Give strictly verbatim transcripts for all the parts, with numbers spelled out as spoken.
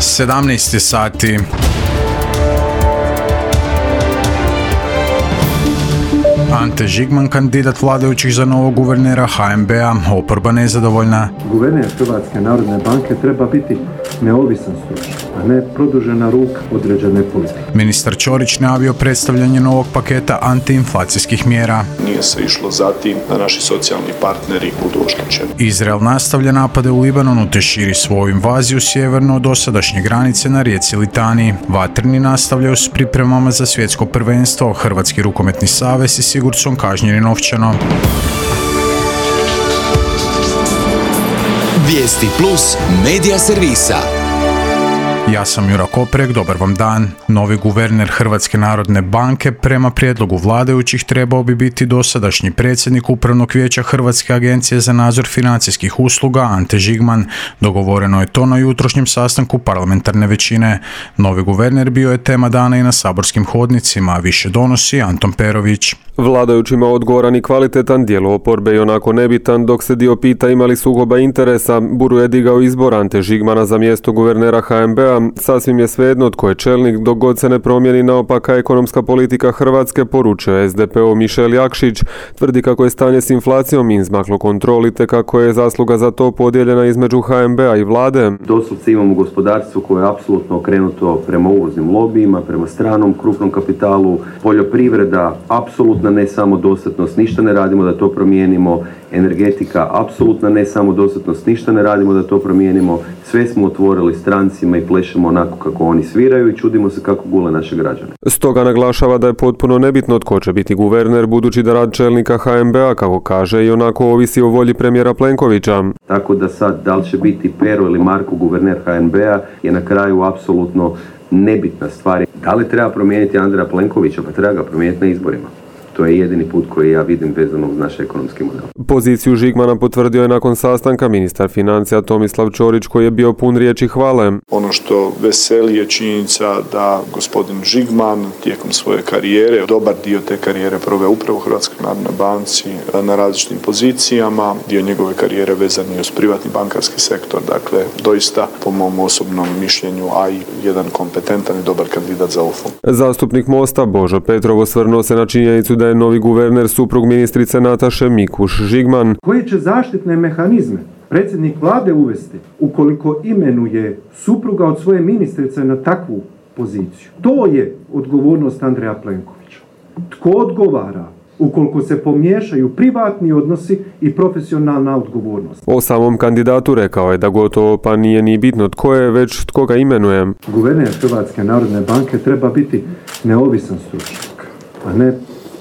sedamnaest sati. Ante Žigman, kandidat vladajućih za novog guvernera H N B-a, oporba nezadovoljna. Guverner Hrvatske narodne banke treba biti neovisan stručnjak, a ne produžena ruka određene politike. Ministar Ćorić najavio predstavljanje novog paketa antiinflacijskih mjera. Nije se išlo za tim da naši socijalni partneri budu oštećeni. Izrael nastavlja napade u Libanonu te širi svoju invaziju sjeverno od dosadašnje granice na rijeci Litani. Vatreni nastavljaju s pripremama za svjetsko prvenstvo. Hrvatski rukometni savez i Sigurdsson kažnjeni novčano. Vijesti plus medija servisa. Ja sam Jura Koprek, dobar vam dan. Novi guverner Hrvatske narodne banke prema prijedlogu vladajućih trebao bi biti dosadašnji predsjednik Upravnog vijeća Hrvatske agencije za nadzor financijskih usluga Ante Žigman. Dogovoreno je to na jutrošnjem sastanku parlamentarne većine. Novi guverner bio je tema dana i na saborskim hodnicima, a više donosi Anton Perović. Vladajućima odgovoran i kvalitetan, dijelu oporbe i onako nebitan, dok se dio pita imali sukoba interesa. Buru je digao izbor Ante Žigmana za mjesto guvernera H N B-a. Sasvim je svejedno tko je čelnik dok god se ne promijeni naopaka ekonomska politika Hrvatske, poručuje S D P-ov Mišel Jakšić. Tvrdi kako je stanje s inflacijom izmaklo kontroli te kako je zasluga za to podijeljena između H N B-a i vlade. Doslovce imamo gospodarstvo koje je apsolutno okrenuto prema uvoznim lobijima, prema stranom krupnom kapitalu, poljoprivreda apsolutna ne samodostatnost, ništa ne radimo da to promijenimo, energetika apsolutna ne samodostatnost, ništa ne radimo da to promijenimo, sve smo otvorili strancima i plešemo onako kako oni sviraju i čudimo se kako gule naše građane. Stoga naglašava da je potpuno nebitno tko će biti guverner, budući da rad čelnika H N B-a, kako kaže, i onako ovisi o volji premijera Plenkovića. Tako da sad, da li će biti Pero ili Marko guverner H N B-a je na kraju apsolutno nebitna stvar. Da li treba promijeniti Andreja Plenkovića? Pa treba ga promijeniti na izborima. To je jedini put koji ja vidim vezano uz naš ekonomski model. Poziciju Žigmana potvrdio je nakon sastanka ministar financija Tomislav Ćorić, koji je bio pun riječi hvale. Ono što veseli je činjenica da gospodin Žigman tijekom svoje karijere, dobar dio te karijere proveo upravo u Hrvatskoj narodnoj banci na različitim pozicijama. Dio njegove karijere vezan je uz privatni bankarski sektor, dakle doista po mom osobnom mišljenju, a i jedan kompetentan i dobar kandidat za ovu funkciju. Zastupnik Mosta Božo Petrov osvrnuo se na činjenicu da je novi guverner suprug ministrice Nataše Mikuš Žigman. Koje će zaštitne mehanizme predsjednik vlade uvesti ukoliko imenuje supruga od svoje ministrice na takvu poziciju? To je odgovornost Andreja Plenkovića. Tko odgovara ukoliko se pomiješaju privatni odnosi i profesionalna odgovornost? O samom kandidatu rekao je da gotovo pa nije ni bitno tko je, već tko ga imenuje. Guverner Hrvatske narodne banke treba biti neovisan stručnjak, a ne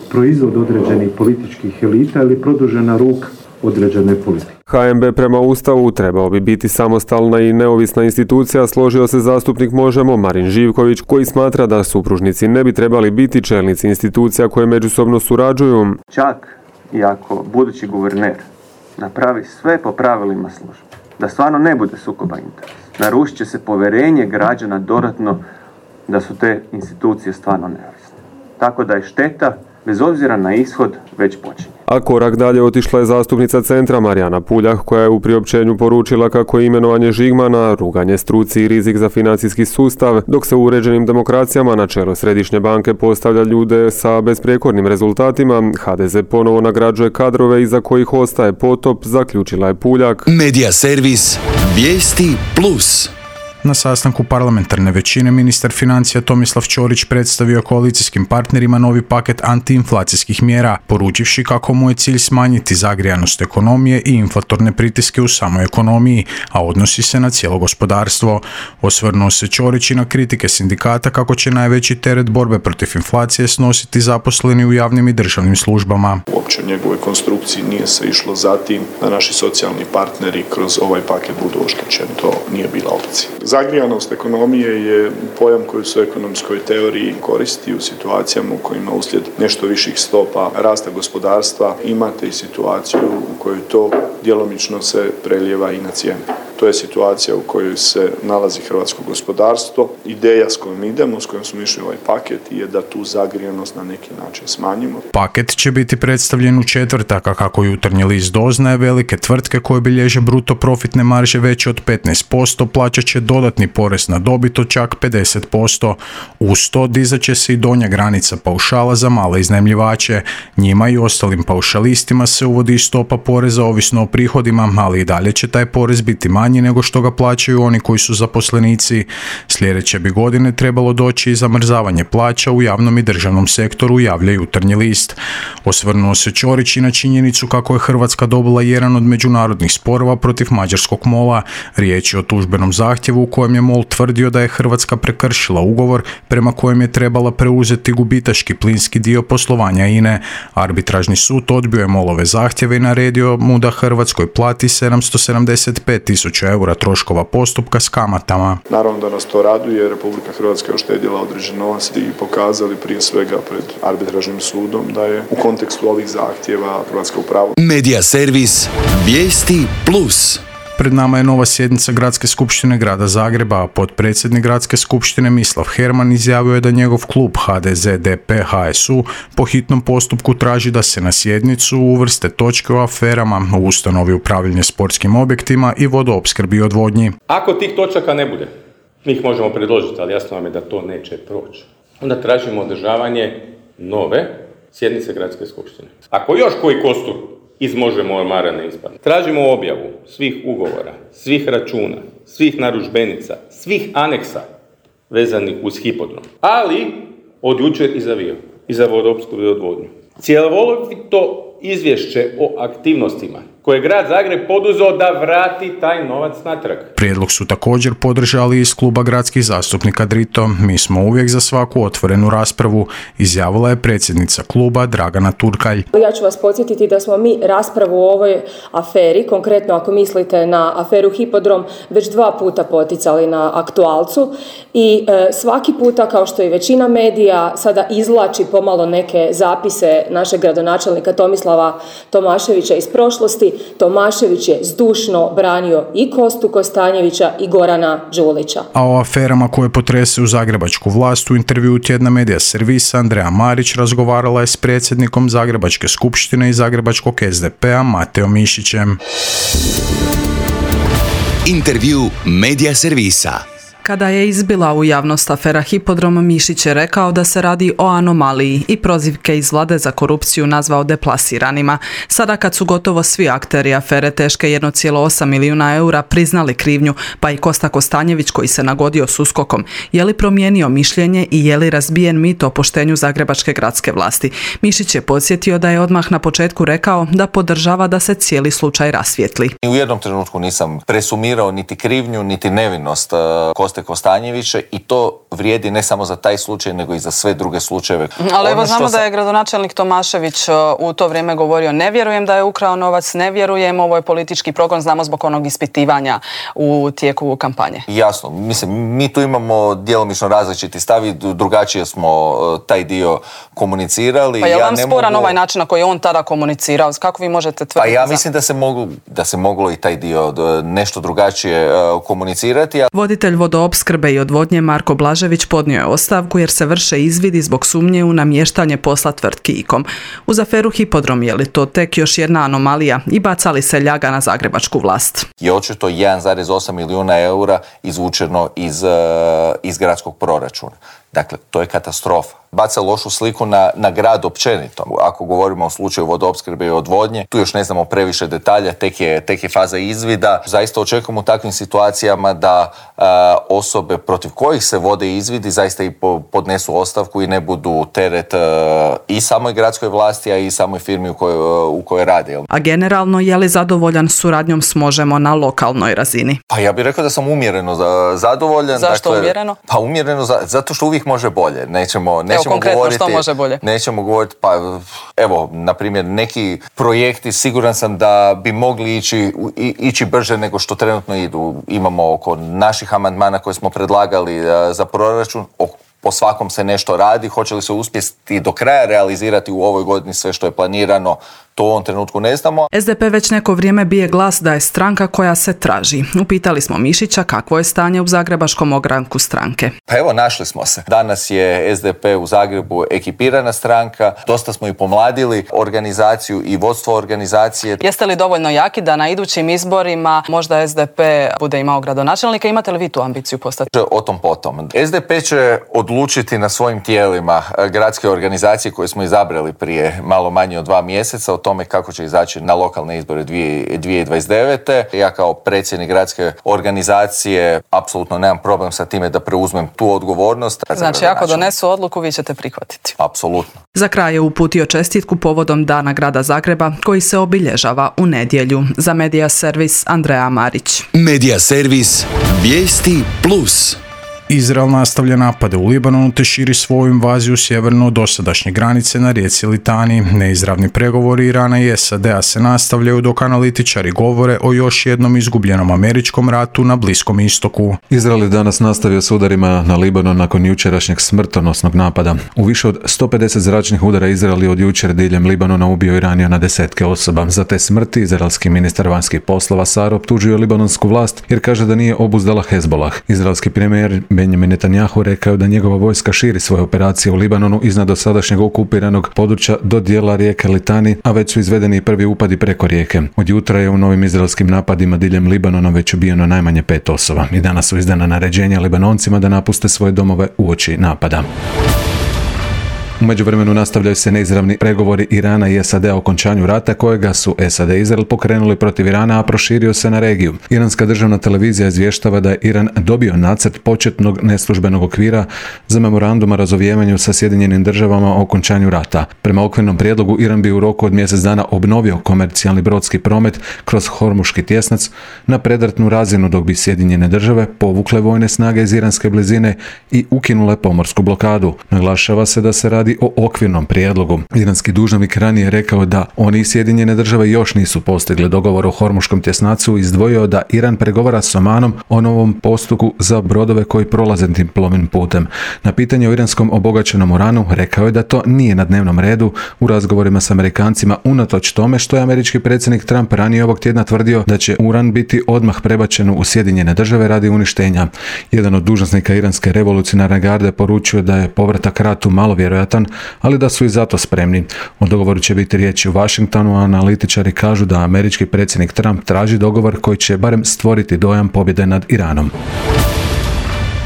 proizvod određenih političkih elita ili produžena ruka određene politike. H N B prema Ustavu trebao bi biti samostalna i neovisna institucija, složio se zastupnik Možemo Marin Živković, koji smatra da supružnici ne bi trebali biti čelnici institucija koje međusobno surađuju. Čak i ako budući guverner napravi sve po pravilima službe, da stvarno ne bude sukoba interesa, narušit će se povjerenje građana dodatno da su te institucije stvarno neovisne. Tako da je šteta, bez obzira na ishod, već počinje. A korak dalje otišla je zastupnica Centra Marijana Puljak, koja je u priopćenju poručila kako je imenovanje Žigmana ruganje struci i rizik za financijski sustav, dok se u uređenim demokracijama na čelo Središnje banke postavlja ljude sa besprijekornim rezultatima. H D Z ponovo nagrađuje kadrove iza kojih ostaje potop, zaključila je Puljak. Medija servis Vijesti plus. Na sastanku parlamentarne većine ministar financija Tomislav Ćorić predstavio koalicijskim partnerima novi paket antiinflacijskih mjera, poručivši kako mu je cilj smanjiti zagrijanost ekonomije i inflatorne pritiske u samoj ekonomiji, a odnosi se na cijelo gospodarstvo. Osvrnuo se Ćorić i na kritike sindikata kako će najveći teret borbe protiv inflacije snositi zaposleni u javnim i državnim službama. Uopće u njegovoj konstrukciji nije se išlo za tim da naši socijalni partneri kroz ovaj paket budu oštećeni. To nije bila opcija. Zagrijanost ekonomije je pojam koji se u ekonomskoj teoriji koristi u situacijama u kojima uslijed nešto viših stopa rasta gospodarstva imate i situaciju u kojoj to djelomično se prelijeva i na cijene. To je situacija u kojoj se nalazi hrvatsko gospodarstvo. Ideja s kojom idemo, s kojom smo išli ovaj paket je da tu zagrijenost na neki način smanjimo. Paket će biti predstavljen u četvrtak, a kako Jutarnji list doznaje, velike tvrtke koje bilježe bruto profitne marže veće od petnaest posto plaćat će dodatni porez na dobit od čak pedeset posto. Uz to dizat će se i donja granica paušala za male iznajmljivače. Njima i ostalim paušalistima se uvodi stopa poreza ovisno o prihodima, ali i dalje će taj porez biti manji nego što ga plaćaju oni koji su zaposlenici. Sljedeće bi godine trebalo doći i zamrzavanje plaća u javnom i državnom sektoru, javlja Jutarnji list. Osvrnuo se Ćorić i na činjenicu kako je Hrvatska dobila jedan od međunarodnih sporova protiv mađarskog mola. Riječ je o tužbenom zahtjevu u kojem je MOL tvrdio da je Hrvatska prekršila ugovor prema kojem je trebala preuzeti gubitaški plinski dio poslovanja I N E. Arbitražni sud odbio je MOL-ove zahtjeve i naredio mu da Hrvatskoj plati sedamsto sedamdeset pet tisuća eura troškova postupka s kamatama. Naravno da nas to raduje, Republika Hrvatska je uštedjela određen novac i pokazali prije svega pred arbitražnim sudom da je u kontekstu ovih zahtjeva Hrvatska u pravu. Medija servis Vijesti plus. Pred nama je nova sjednica Gradske skupštine Grada Zagreba, a potpredsjednik Gradske skupštine Mislav Herman izjavio je da njegov klub H D Z D P H S U po hitnom postupku traži da se na sjednicu uvrste točke o aferama u ustanovi upravljanja sportskim objektima i vodoopskrbi i odvodnji. Ako tih točaka ne bude, mi ih možemo predložiti, ali jasno vam je da to neće proći. Onda tražimo održavanje nove sjednice Gradske skupštine. Ako još koji kostur iz Možemo ormara ne ispadne, tražimo objavu svih ugovora, svih računa, svih narudžbenica, svih aneksa vezanih uz hipodrom, ali od jučer i za Vio, i za vodoopskrbu i odvodnju. Cjelovito izvješće o aktivnostima koje je Grad Zagreb poduzeo da vrati taj novac natrag. Prijedlog su također podržali iz kluba gradskih zastupnika Drito. Mi smo uvijek za svaku otvorenu raspravu, izjavila je predsjednica kluba Dragana Turkalj. Ja ću vas podsjetiti da smo mi raspravu o ovoj aferi, konkretno ako mislite na aferu Hipodrom, već dva puta poticali na aktualcu i e, svaki puta, kao što i većina medija sada izvlači pomalo neke zapise našeg gradonačelnika Tomislava Tomaševića iz prošlosti, Tomašević je zdušno branio i Kostu Kostanjevića i Gorana Đulića. A o aferama koje potrese u zagrebačku vlast u intervjuu tjedna Medija servisa Andreja Marić razgovarala je s predsjednikom Zagrebačke skupštine i Zagrebačkog S D P-a Mateom Mišićem. Intervju Medija servisa. Kada je izbila u javnost afera Hipodrom, Mišić je rekao da se radi o anomaliji i prozivke iz vlade za korupciju nazvao deplasiranima. Sada kad su gotovo svi akteri afere teške jedan zarez osam milijuna eura priznali krivnju, pa i Kosta Kostanjević koji se nagodio s uskokom, je li promijenio mišljenje i je li razbijen mit o poštenju zagrebačke gradske vlasti? Mišić je podsjetio da je odmah na početku rekao da podržava da se cijeli slučaj rasvijetli. U jednom trenutku nisam presumirao niti krivnju, niti nevinost Kosta Kostanjevića i to vrijedi ne samo za taj slučaj, nego i za sve druge slučajeve. Ali evo znamo sam... da je gradonačelnik Tomašević u to vrijeme govorio ne vjerujem da je ukrao novac, ne vjerujem, ovo je politički progon, znamo zbog onog ispitivanja u tijeku kampanje. Jasno, mislim, mi tu imamo djelomično različiti stav i drugačije smo taj dio komunicirali. Pa je li ja vam sporan mogu... ovaj način na koji je on tada komunicirao? Kako vi možete tvrditi? Pa ja za... mislim da se, moglo, da se moglo i taj dio nešto drugačije komunicirati. A... Voditelj vodoopskrbe i odvodnje Marko Blažević podnio je ostavku jer se vrše izvidi zbog sumnje u namještanje posla tvrtki IKOM. Uz aferu Hipodrom je li to tek još jedna anomalija i baca li se ljaga na zagrebačku vlast? Je očito jedan zarez osam milijuna eura izvučeno iz, iz gradskog proračuna. Dakle, to je katastrofa. Baca lošu sliku na, na grad općenito. Ako govorimo o slučaju vodoopskrbe i odvodnje, tu još ne znamo previše detalja, tek je, tek je faza izvida. Zaista očekujemo u takvim situacijama da a, osobe protiv kojih se vode izvidi zaista i po, podnesu ostavku i ne budu teret a, i samoj gradskoj vlasti, a i samoj firmi u kojoj, u kojoj rade. A generalno, je li zadovoljan suradnjom s Možemo na lokalnoj razini? Pa ja bih rekao da sam umjereno zadovoljan. Zašto dakle, umjereno? Pa umjereno za, zato što uvijek može bolje. Nećemo, nećemo evo, konkretno govoriti, što može bolje? Nećemo govoriti, pa evo, na primjer, neki projekti siguran sam da bi mogli ići, ići brže nego što trenutno idu. Imamo oko naših amandmana koje smo predlagali za proračun, po svakom se nešto radi, hoće li se uspjeti do kraja realizirati u ovoj godini sve što je planirano, To u ovom trenutku ne znamo. S D P već neko vrijeme bije glas da je stranka koja se traži. Upitali smo Mišića kakvo je stanje u zagrebačkom ogranku stranke. Pa evo, našli smo se. Danas je S D P u Zagrebu ekipirana stranka, dosta smo i pomladili organizaciju i vodstvo organizacije. Jeste li dovoljno jaki da na idućim izborima možda S D P bude imao gradonačelnika? Imate li vi tu ambiciju postati? O tom potom. S D P će odlučiti na svojim tijelima gradske organizacije koje smo izabrali prije malo manje od dva mjeseca o tome kako će izaći na lokalne izbore dvije tisuće dvadeset devete. Ja kao predsjednik gradske organizacije apsolutno nemam problem sa time da preuzmem tu odgovornost. Znači, ako donesu odluku, vi ćete prihvatiti? Apsolutno. Za kraj je uputio čestitku povodom Dana grada Zagreba koji se obilježava u nedjelju. Za Medija servis Andreja Marić. Medija servis Vijesti plus. Izrael nastavlja napade u Libanonu te širi svoju invaziju sjeverno od dosadašnje granice na rijeci Litani. Neizravni pregovori Irana i S A D-a se nastavljaju dok analitičari govore o još jednom izgubljenom američkom ratu na Bliskom istoku. Izrael je danas nastavio s udarima na Libanon nakon jučerašnjeg smrtonosnog napada. U više od sto pedeset zračnih udara Izrael je od jučer diljem Libanona ubio i ranio na desetke osoba. Za te smrti izraelski ministar vanjskih poslova Sar optužio libanonsku vlast jer kaže da nije obuzdala Hezbolah. Izraelski premijer Benjamin Netanjahu rekao da njegova vojska širi svoje operacije u Libanonu iznad dosadašnjeg okupiranog područja do dijela rijeke Litani, a već su izvedeni i prvi upadi preko rijeke. Od jutra je u novim izraelskim napadima diljem Libanona već ubijeno najmanje pet osoba i danas su izdana naređenja Libanoncima da napuste svoje domove uoči napada. U međuvremenu nastavljaju se neizravni pregovori Irana i S A D-a o okončanju rata kojega su S A D i Izrael pokrenuli protiv Irana, a proširio se na regiju. Iranska državna televizija izvještava da je Iran dobio nacrt početnog neslužbenog okvira za memorandum o razovijevanju sa Sjedinjenim državama o okončanju rata. Prema okvirnom prijedlogu Iran bi u roku od mjesec dana obnovio komercijalni brodski promet kroz Hormuški tjesnac na predratnu razinu, dok bi Sjedinjene države povukle vojne snage iz iranske blizine i ukinule pomorsku blokadu. Naglašava se da se radi o okvirnom prijedlogu. Iranski dužnosnik ranije rekao da oni i Sjedinjene države još nisu postigli dogovor o Hormuškom tjesnacu i izdvojio da Iran pregovara s Omanom o novom postupku za brodove koji prolaze tim plovnim putem. Na pitanje o iranskom obogaćenom uranu rekao je da to nije na dnevnom redu u razgovorima s Amerikancima, unatoč tome što je američki predsjednik Trump ranije ovog tjedna tvrdio da će uran biti odmah prebačen u Sjedinjene države radi uništenja. Jedan od dužnosnika iranske revolucionarne garde poručio da je povratak ratu malo vjerojatan, ali da su i zato spremni. O dogovoru će biti riječi u Washingtonu, a analitičari kažu da američki predsjednik Trump traži dogovor koji će barem stvoriti dojam pobjede nad Iranom.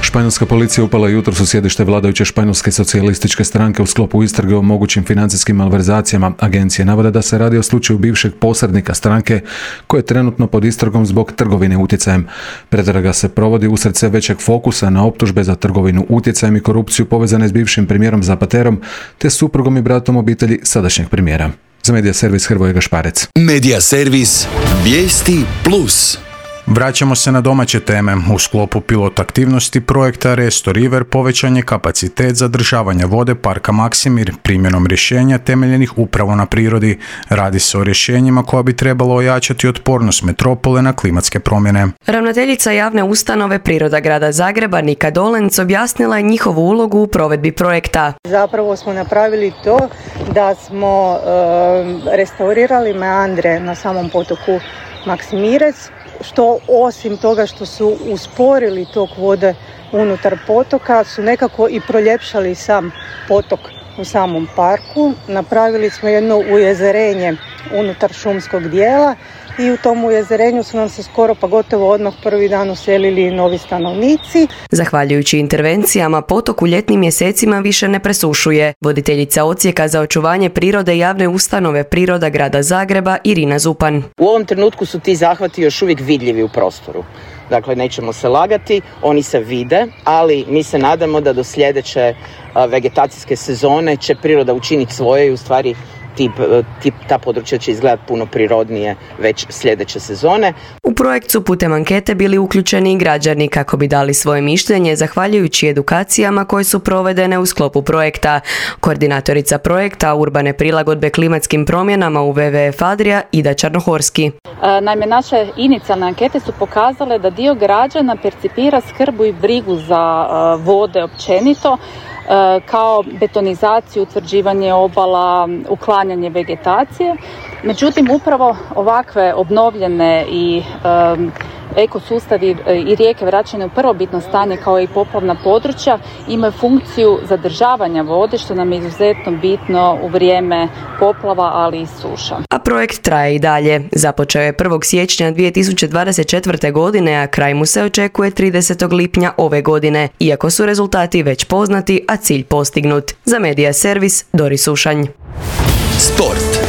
Španjolska policija upala jutros u sjedište vladajuće španjolske socijalističke stranke u sklopu istrage o mogućim financijskim malverzacijama. Agencije navode da se radi o slučaju bivšeg posrednika stranke koji je trenutno pod istragom zbog trgovine utjecajem. Pretraga se provodi usred sve većeg fokusa na optužbe za trgovinu utjecajem i korupciju povezane s bivšim premijerom Zapaterom te suprugom i bratom obitelji sadašnjeg premijera. Za Medija servis Hrvoje Gašparec. Medija servis Vijesti plus. Vraćamo se na domaće teme. U sklopu pilot aktivnosti projekta Resto River povećan je kapacitet zadržavanja vode parka Maksimir primjenom rješenja temeljenih upravo na prirodi. Radi se o rješenjima koja bi trebalo ojačati otpornost metropole na klimatske promjene. Ravnateljica javne ustanove Priroda grada Zagreba Nika Dolenc objasnila je njihovu ulogu u provedbi projekta. Zapravo smo napravili to da smo e, restaurirali meandre na samom potoku Maksimirec, što osim toga što su usporili tok vode unutar potoka, su nekako i proljepšali sam potok u samom parku. Napravili smo jedno ujezerenje unutar šumskog dijela i u tom ujezerenju su nam se skoro pa gotovo odmah prvi dan uselili novi stanovnici. Zahvaljujući intervencijama, potok u ljetnim mjesecima više ne presušuje. Voditeljica odsjeka za očuvanje prirode javne ustanove Priroda grada Zagreba Irina Zupan. U ovom trenutku su ti zahvati još uvijek vidljivi u prostoru. Dakle, nećemo se lagati, oni se vide, ali mi se nadamo da do sljedeće vegetacijske sezone će priroda učiniti svoje i u stvari Tip, tip, ta područja će izgledati puno prirodnije već sljedeće sezone. U projekt su putem ankete bili uključeni i građani kako bi dali svoje mišljenje zahvaljujući edukacijama koje su provedene u sklopu projekta. Koordinatorica projekta Urbane prilagodbe klimatskim promjenama u W W F Adria Ida Čarnohorski. Naime, naše inicijalne ankete su pokazale da dio građana percipira skrbu i brigu za vode općenito, kao betonizaciju, utvrđivanje obala, uklanjanje vegetacije, Međutim, upravo ovakve obnovljene i um, ekosustavi i rijeke vraćane u prvobitno stanje kao i poplavna područja imaju funkciju zadržavanja vode, što nam je izuzetno bitno u vrijeme poplava, ali i suša. A projekt traje i dalje. Započeo je prvog siječnja dvije tisuće dvadeset četvrte. godine, a kraj mu se očekuje tridesetog lipnja ove godine, iako su rezultati već poznati, a cilj postignut. Za Medija Servis, Dori Sušanj. Sport.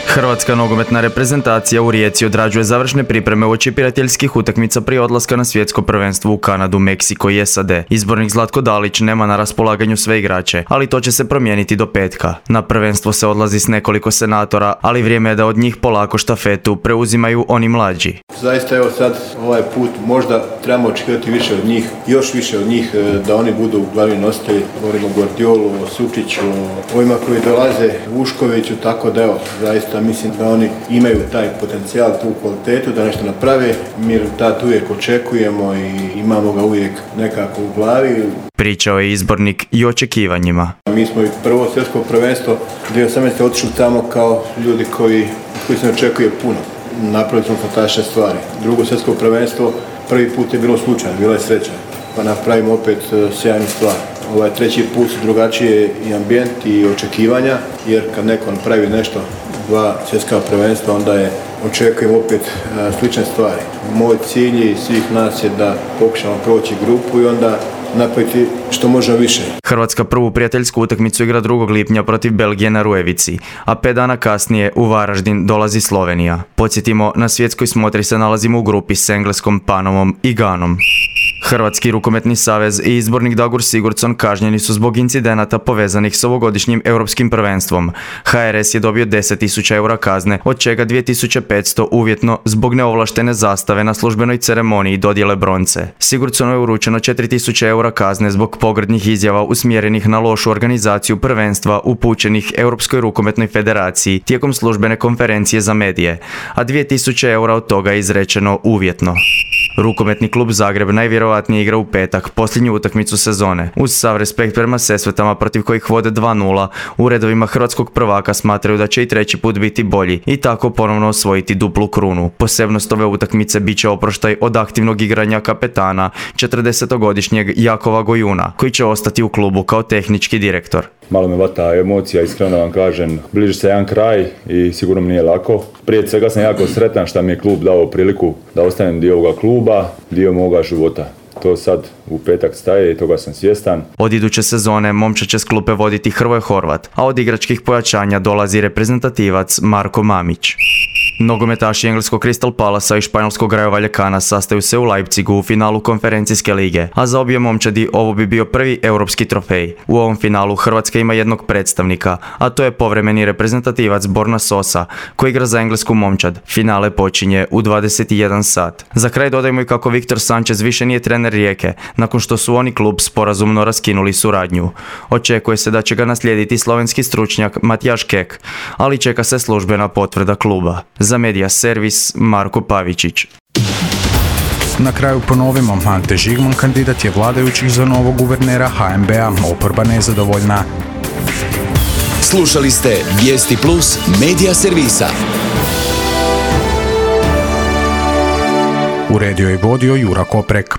Hrvatska nogometna reprezentacija u Rijeci odrađuje završne pripreme uoči prijateljskih utakmica prije odlaska na svjetsko prvenstvo u Kanadu, Meksiko i S A D. Izbornik Zlatko Dalić nema na raspolaganju sve igrače, ali to će se promijeniti do petka. Na prvenstvo se odlazi s nekoliko senatora, ali vrijeme je da od njih polako štafetu preuzimaju oni mlađi. Zaista evo sad ovaj put možda trebamo očekivati više od njih, još više od njih, da oni budu glavni nositelji. Govorimo o Guardiolu, o Sučiću, o ovima koji dolaze, Vuškoviću, tako da evo, zaista mislim da oni imaju taj potencijal, tu kvalitetu da nešto naprave. Mi rezultat uvijek očekujemo i imamo ga uvijek nekako u glavi. Pričao je izbornik i očekivanjima. Mi smo i prvo svjetsko prvenstvo dvije tisuće osamnaeste. otišli tamo kao ljudi koji, koji se ne očekuje puno. Napravili smo fantastične stvari. Drugo svjetsko prvenstvo prvi put je bilo slučajno, bila je sreća. Pa napravimo opet sjajnu stvar. Ovaj treći put su drugačije i ambijent i očekivanja, jer kad neko napravi nešto dva svjetska prvenstva, onda je očekujemo opet uh, slične stvari. Moj cilj i svih nas je da pokušamo proći grupu i onda napraviti što možemo više. Hrvatska prvu prijateljsku utakmicu igra drugog lipnja protiv Belgije na Rujevici, a pet dana kasnije u Varaždin dolazi Slovenija. Podsjetimo, na svjetskoj smotri se nalazimo u grupi s Engleskom, Panamom i Ganom. Hrvatski rukometni savez i izbornik Dagur Sigurdsson kažnjeni su zbog incidenata povezanih s ovogodišnjim europskim prvenstvom. H R S je dobio deset tisuća eura kazne, od čega dvije tisuće petsto uvjetno zbog neovlaštene zastave na službenoj ceremoniji dodjele bronce. Sigurdssonu je uručeno četiri tisuće eura kazne zbog pogrdnih izjava usmjerenih na lošu organizaciju prvenstva upućenih Europskoj rukometnoj federaciji tijekom službene konferencije za medije, a dvije tisuće eura od toga je izrečeno uvjetno. Rukometni klub Zagreb najvjerojatnije igra u petak posljednju utakmicu sezone. Uz sav respekt prema Sesvetama protiv kojih vode dva nula, u redovima hrvatskog prvaka smatraju da će i treći put biti bolji i tako ponovno osvojiti duplu krunu. Posebnost ove utakmice bit će oproštaj od aktivnog igranja kapetana, četrdesetogodišnjeg Jakova Gojuna, koji će ostati u klubu kao tehnički direktor. Malo me vata emocija, iskreno vam kažem. Bliži se jedan kraj i sigurno mi nije lako. Prije svega sam jako sretan što mi je klub dao priliku da ostanem dio ovoga kluba, dio moga života. To sad u petak staje i toga sam svjestan. Od iduće sezone momčad će s klupe voditi Hrvoje Horvat, a od igračkih pojačanja dolazi reprezentativac Marko Mamić. Nogometaši engleskog Crystal Palasa i španjolskog Rayo Vallecana sastaju se u Leipzigu u finalu konferencijske lige, a za obje momčadi ovo bi bio prvi europski trofej. U ovom finalu Hrvatska ima jednog predstavnika, a to je povremeni reprezentativac Borna Sosa, koji igra za englesku momčad. Finale počinje u dvadeset jedan sat. Za kraj dodajmo i kako Viktor Sanchez više nije trener Rijeke, nakon što su oni klub sporazumno raskinuli suradnju. Očekuje se da će ga naslijediti slovenski stručnjak Matijaš Kek, ali čeka se službena potvrda kluba. Za Medija Servis, Marko Pavičić. Na kraju ponovimo, Ante Žigman kandidat je vladajućih za novog guvernera H N B A, oporba nezadovoljna. Slušali ste Vijesti Plus Medija Servisa. Uredio i vodio Jura Koprek.